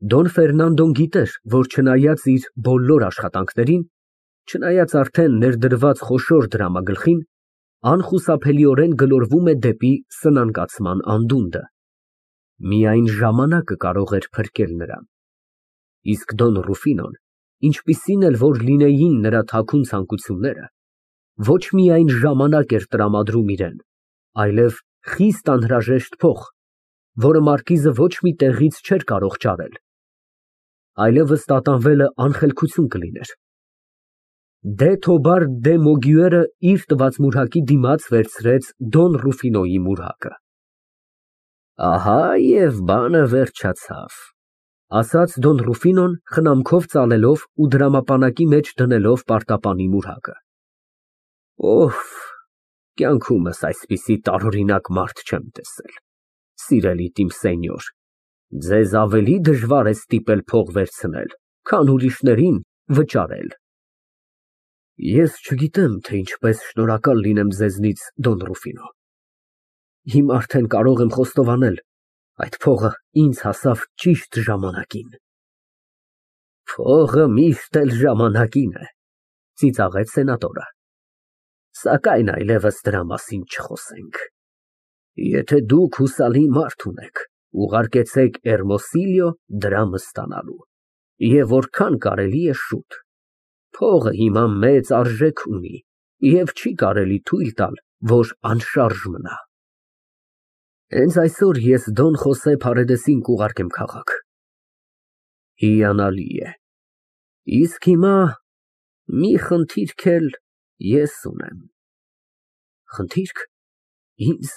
Դոն Ֆերնանդոն գիտեր, որ չնայած իր բոլոր աշխատանքներին, չնայած արդեն ներդրված խոշոր դրամագլխին, անխուսափելիորեն գլորվում է դեպի սնանկացման անդունդը։ Միայն ժամանակը կարող էր փրկել նրան։ Իսկ Դոն Ռուֆինոն, ինչպիսին էլ որ լինեին նրա թաքուն ցանկությունները, ոչ միայն ժամանակ էր տրամադրում իրան, այլև խիստ անհրաժեշտ փող, որը մարկիզը ոչ մի տեղից չէր կարող ճարել, այլևս տատանվելը անխելքություն կլիներ։ Դե Թոբար դե Մոգյուերը իր տված մուրհակի դիմաց վերցրեց Դոն Ռուֆինոյի մուրհակը։ Ահա և բանը վերջացավ, ասաց Դոն Ռուֆինոն խնամքով ծալելով ու դրամապանակի մեջ դնելով պարտապանի մուրհակը։ Օհ, կյանքումս այսպիսի տարօրինակ մարդ չեմ տեսել, սիրելի իմ սենյոր, ձեզ ավելի դժվար է ստիպել փող վերցնել, քան ուրիշներին վճարել։ Ես չգիտեմ, թե ինչպես շնորհակալ լինեմ ձեզնից, Դոն Ռուֆինո։ Հիմա արդեն կարող եմ խոստովանել, այդ փողը ինձ հասավ ճիշտ ժամանակին։ Փողը միշտ էլ ժամանակին է, ծիծաղեց սենատորը։ Սակայն այլևս դրա մասին չխոսենք։ Եթե դուք հուսալի մարդ ունեք, ուղարկեցեք Էրմոսիլիո դրամը ստանալու, և որքան կարելի է շուտ։ Փողը հիմա մեծ արժեք ունի և չի կարելի թույլ տալ, որ անշարժ մնա։ Հենց այսօր ես Դոն Խոսե Փարեդեսին կուղարկեմ քաղաք։ Հիանալի է։ Իսկ հիմա մի խնդիրք էլ ես ունեմ։ Խնդիրք։ Ինձ։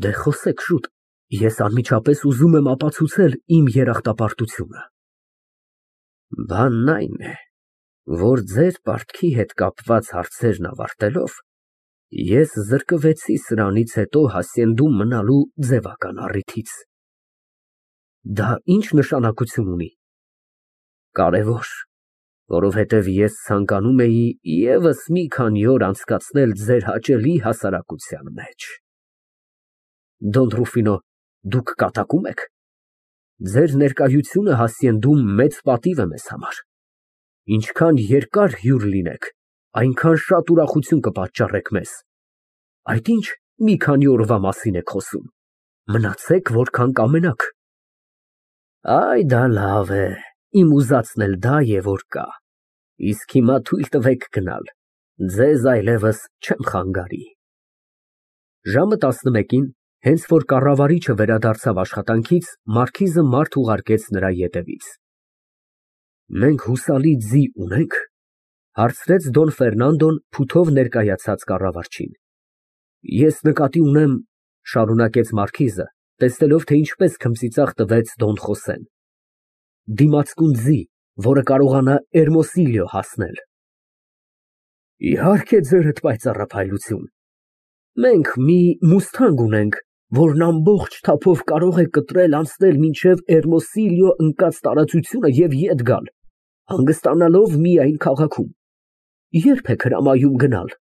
Դե խոսեք շուտ, ես անմիջապես ուզում եմ ապացուցել իմ երախտապարտությունը։ Բանն այն է, որ ձեր պարտքի հետ կապված հարցերն ավարտելով, ես զրկվեցի սրանից հետո Հասցենդում մնալու ձևական առիթից։ Դա ի՞նչ նշանակություն ունի։ Կարևոր, որովհետև ես ցանկանում էի ևս մի քանի օր անցկացնել ձեր հաճելի հասարակության մեջ։ Դոն Ռուֆինո, դուք կատակում եք։ Ձեր ներկայությունը Հասցենդում մեծ պատիվ է մեզ համար։ Ինչքան երկար հյուր լինեք, այնքան շատ ուրախություն կպատճառեք մեզ։ Այդ ինչ մի քանի օրվա մասին եք խոսում։ Մնացեք որքան կամենաք։ Այ դա լավ է, իմ ուզածն էլ դա է, որ կա։ Իսկ հիմա թույլ տվեք գնալ, ձեզ այլևս չեմ խանգարի։ Ժամը 11-ին, հենց որ կառավարիչը վերադարձավ աշխատանքից, մարքիզը մարդ ուղարկեց նրա ետևից։ Մենք հուսալի ձի ունենք, հարցրեց Դոն Ֆերնանդոն փութով ներկայացած կառավարչին։ Ես նկատի ունեմ, շարունակեց մարքիզը, տեսնելով, թե ինչպես քմծիծաղ տվեց Դոն Խոսեն, դիմացկուն ձի, որը կարողանա Էրմոսիլիո հասնել։ Իհարկե, ձերդ պայծառափայլություն։ Մենք մի մուսթանգ ունենք, որն ամբողջ թափով կարող է կտրել անցնել մինչև Էրմոսիլիո ընկած տարածությունը և ետ գալ, հանգստանալով միայն քաղաքում։ Ե՞րբ եք հրամայում գնալ։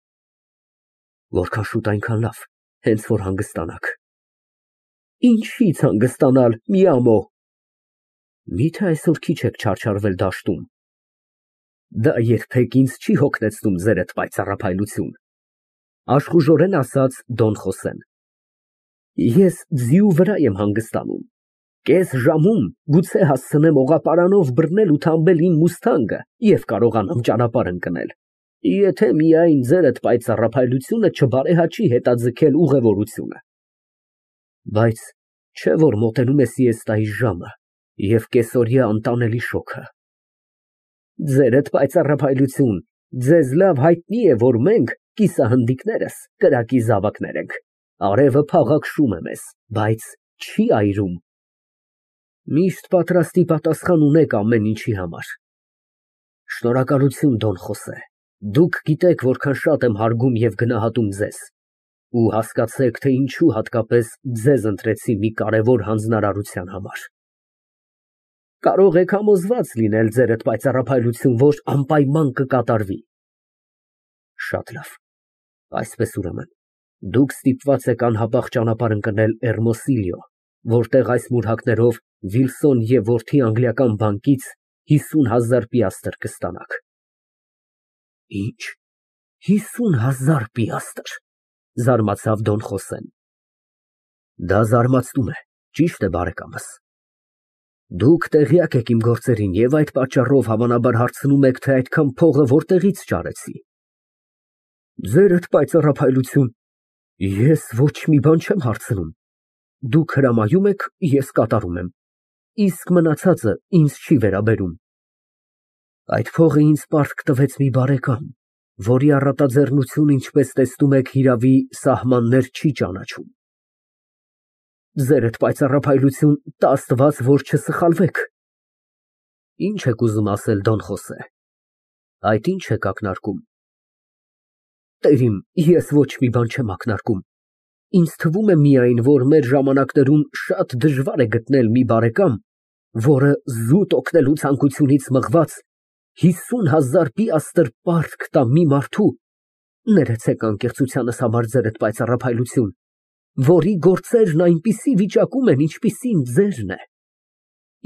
Որքան շուտ այնքան լավ, հենց որ հանգստանաք։ Ինչի՞ց հանգստանալ, մի ամոհ։ Միթե այսօր քիչ եք չարչարվել դաշտում։ Դա երբեք ինձ չի հոգնեցնում ձերդ պայծառափայլություն, աշխուժորեն ասաց Դոն Խոսեն։ Ես ձիու վրա եմ հանգստանում։ Կես ժամում գուցե հասցնեմ օղապարանով բռնել ու թամբել իմ մուսթանգը և կարողանամ ճանապարհ ընկնել, եթե միայն ձերդ պայծառափայլությունը չբարեհաճի հետաձգել ուղևորությունը։ Բայց չէ որ մոտենում է սիեստայի ժամը և կեսօրյա անտանելի շոգը։ Ձերդ պայծառափայլություն, ձեզ լավ հայտնի է, որ մենք, կիսահնդիկներս, կրակի զավակներ ենք, արևը փաղաքշում է մեզ, բայց չի այրում։ Միշտ պատրաստի պատասխան ունեք ամեն ինչի համար։ Շնորհակալություն, Դոն Խոսե, դուք գիտեք որքան շատ եմ հարգում և գնահատում ձեզ, ու հասկացեք, թե ինչու հատկապես ձեզ ընտրեցի մի կարևոր հանձնարարության համար։ Կարող եք համոզված լինել, ձերդ պայծառափայլություն, որ անպայման կկատարվի։ Շատ լավ, այսպես ուրեմն, դուք ստիպված եք անհապաղ ճանապարհ ընկնել Էրմոսիլիո որտեղ այս մուրհակներով Վիլսոն և որդի անգլիական բանկից 50,000 պիաստր կստանաք։ Ինչ, 50,000 պիաստր, զարմացավ Դոն Խոսեն։ Դա զարմացնում է, ճիշտ է, բարեկամս։ Դուք տեղյակ եք իմ գործերին և այդ պատճառով հավանաբար հարցնում եք, թե այդքան փողը որտեղից ճարեցի։ Ձերդ պայծառափայլություն, ես ոչ մի բան չեմ հարցնում։ Դուք հրամայում եք, ես կատարում եմ, իսկ մնացածը ինձ չի վերաբերում։ Այդ փողը ինձ պարտք տվեց մի բարեկամ, որի առատաձեռնությունը, ինչպես տեսնում եք, հիրավի սահմաններ չի ճանաչում։ Ձերդ պայծառափայլություն, տա Աստված, որ չսխալվեք։ Ինչ եք ուզում ասել, Դոն Խոսե։ Այդ ինչ եք ակնարկում։ Տեր իմ, ես ոչ մի բան չեմ ակնարկում։ Ինձ թվում է միայն, որ մեր ժամանակներում շատ դժվար է գտնել մի բարեկամ, որը զուտ օգնելու ցանկությունից մղված 50,000 պիաստր պարտք տա մի մարդու, ներեցեք անկեղծությանս համար ձերդ պայծառափայլություն, որի գործերն այնպիսի վիճակում են, ինչպիսին ձերն է։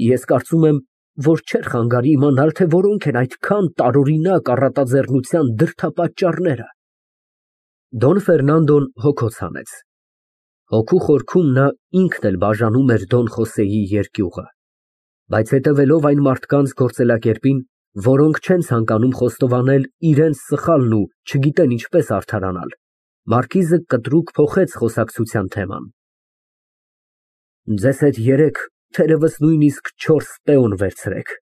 Ես կարծում եմ, որ չէր խանգարի իմանալ, թե որոնք են այդքան տարօրինակ առատաձեռնության դրդապատճառները։ Դոն Ֆերնանդոն հոգոց հանեց։ Հոգու խորքում նա ինքն էլ բաժանում էր Դոն Խոսեի երկյուղը, բայց հետևելով այն մարդկանց գործելակերպին, որոնք չեն ցանկանում խոստովանել իրենց սխալն ու չգիտեն ինչպես արդարանալ, մարքիզը կտրուկ փոխեց խոսակցության թեման։ Ձեզ հետ 3, թերևս նույնիսկ 4 պեոն վերցրեք։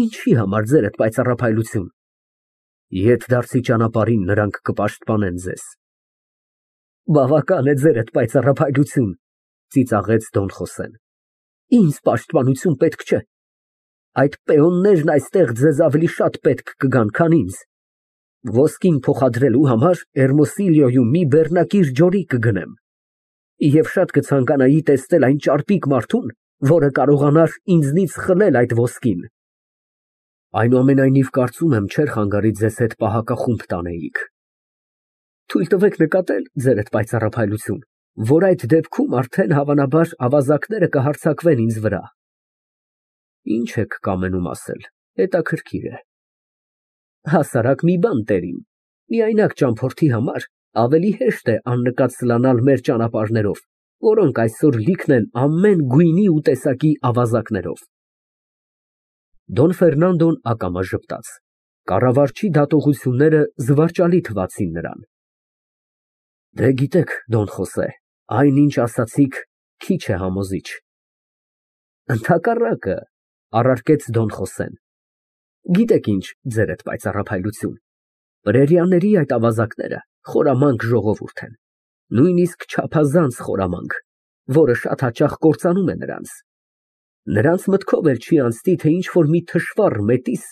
Ինչի համար ձերդ պայծառափայլություն։ Ետդարձի ճանապարհին նրանք կպաշտպանեն ձեզ։ Բավական է ձերդ պայծառափայլություն, ծիծաղեց Դոն Խոսեն։ Ինձ պաշտպանություն պետք չէ։ Այդ պեոններն այստեղ ձեզ ավելի շատ պետք կգան, քան ինձ։ Ոսկին փոխադրելու համար Էրմոսիլիոյում մի բեռնակիր ջորի կգնեմ։ Եվ շատ կցանկանայի տեսնել այն ճարպիկ մարդուն, որը կարողանար ինձնից խլել այդ ոսկին։ Այնուամենայնիվ կարծում եմ չէր խանգարի ձեզ հետ պահակախումբ տանեիք։ Թույլ տվեք նկատել, ձերդ պայծառափայլություն, որ այդ դեպքում արդեն հավանաբար ավազակները կհարձակվեն ինձ վրա։ Ինչ եք կամենում ասել, հետաքրքիր է։ Հասարակ մի բան, տերիմ, միայնակ ճամփորդի համար ավելի հեշտ է աննկատ սլանալ մեր ճանապարհներով, որոնք այսօր լիքն են ամեն գույնի ու տեսակի ավազակներով։ Դոն Ֆերնանդոն ակամա ժպտաց։ Կառավարչի դատողությունները զվարճալի թվացին նրան։ Դե գիտեք, Դոն Խոսե, այնինչ ասացիք քիչ է համոզիչ։ Ընդհակառակը, առարկեց Դոն Խոսեն։ Գիտեք ինչ, ձերդ պայծառափայլություն, պրերիաների այդ ավազակները խորամանկ ժողովուրդ են, նույնիսկ չափազանց խորամանկ, որը շատ հաճախ կործանում է նրանց։ Նրանց մտքով էլ չի անցնի, թե ինչ-որ մի թշվառ մետիս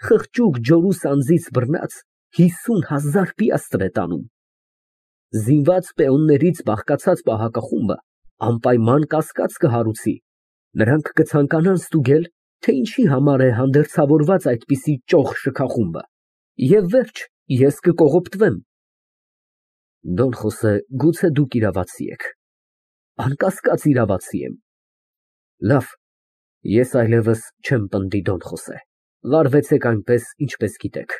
խղճուկ ջորու սանձից բռնած 50,000 պիաստր է տանում։ Զինված պեոններից բաղկացած պահակախումբը անպայման կասկած կհարուցի, նրանք կցանկանան ստուգել, թե ինչի համար է հանդերձավորված այդպիսի ճոխ շքախումբը, և վերջ, ես կկողոպտվեմ։ Դոն Խոսե, գուցե դուք իրավացի եք։ Անկասկած իրավացի եմ։ Լավ, ես այլևս չեմ պնդի, Դոն Խոսե, վարվեցեք այնպես, ինչպես գիտեք։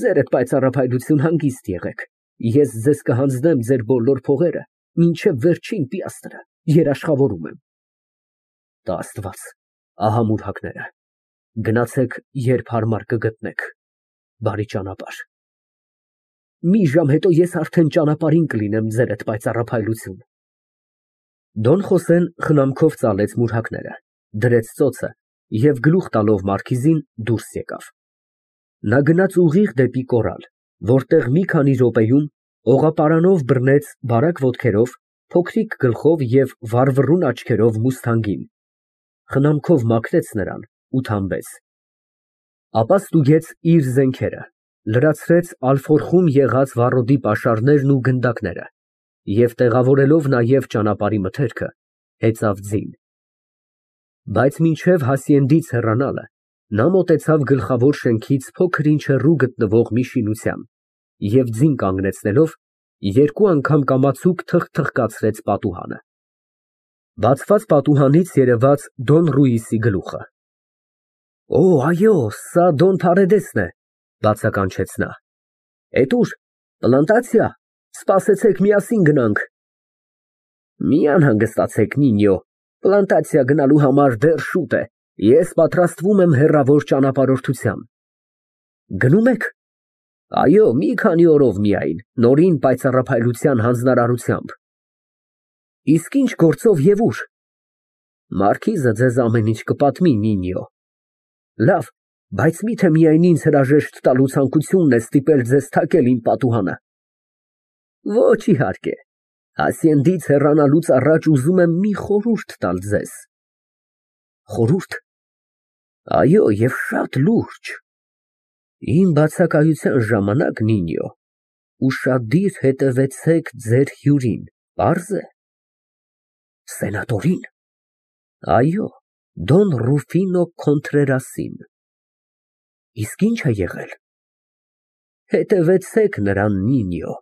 Ձերդ պայծառափայլություն, հանգիստ եղեք, ես ձեզ կհանձնեմ ձեր բոլոր փողերը, մինչև վերջին պիաստրը, երաշխավորում եմ։ Տա Աստված, ահա մուրհակները, գնացեք, երբ հարմար կգտնեք, բարի ճանապարհ։ Մի ժամ հետո ես արդեն ճանապարհին կլինեմ, ձերդ պայծառափայլություն։ Դոն Խոսեն խնամքով ծալեց մուրհակները, դրեց ծոցը և գլուխ տալով մարքիզին դուրս եկավ։ Նա գնաց ուղիղ դեպի կորալ, որտեղ մի քանի րոպեում օղապարանով բռնեց բարակ ոտքերով, փոքրիկ գլխով և վառվռուն աչքերով մուսթանգին, խնամքով մաքրեց նրան ու թամբեց։ Ապա ստուգեց իր զենքերը, լրացրեց ալֆորխում եղած վառոդի պաշարներն ու գնդակները և տեղավորելով նաև ճանապարհի մթերքը, հեծավ ձին։ Բայց մինչև Հասիենդից հեռանալը, նա մոտեցավ գլխավոր շենքից փոքր-ինչ հեռու գտնվող մի շինության և ձին կանգնեցնելով, երկու անգամ կամացուկ թխթխկացրեց պատուհանը։ Բացված պատուհանից երևաց Դոն Ռուիսի գլուխը։ Օ, այո, սա Դոն Փարեդեսն է, բացականչեց նա։ Էդ ուր, պլանտացիա, սպասեցեք, միասին գնանք։ Մի անհանգստացեք, Նինյո, պլանտացիա գնալու համար դեռ շուտ է, ես պատրաստվում եմ հեռավոր ճանապարհորդության։ Գնում եք։ Այո, մի քանի օրով միայն, նորին պայծառափայլության հանձնարարությամբ։ Իսկ ինչ գործով եւ ուր։ Մարքիզը ձեզ ամեն ինչ կպատմի, Նինյո։ Լավ, բայց միթե միայն ինձ հրաժեշտ տալու ցանկությունն է ստիպել ձեզ թակել իմ պատուհանը։ Ոչ, իհարկե։ Հասիենդից հեռանալուց առաջ ուզում եմ մի խորհուրդ տալ ձեզ։ Խորհուրդ։ Այո, եւ շատ լուրջ։ Իմ բացակայության ժամանակ, Նինյո, ուշադիր հետևեցեք ձեր հյուրին, պարզ է։ Սենատորին։ Այո, Դոն Ռուֆինո Քոնտրերասին։ Իսկ ինչ է եղել։ Հետևեցեք նրան, Նինյո,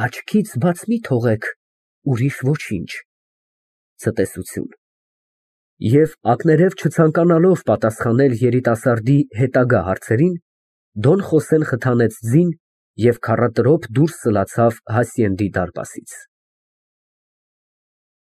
աչքից բաց մի թողեք, ուրիշ ոչինչ։ Ցտեսություն։ Եվ ակներև չցանկանալով պատասխանել երիտասարդի հետագա հարցերին, Դոն Խոսեն խթանեց ձին և քառատրոփ դուրս սլացավ Հասիենդի դարպասից։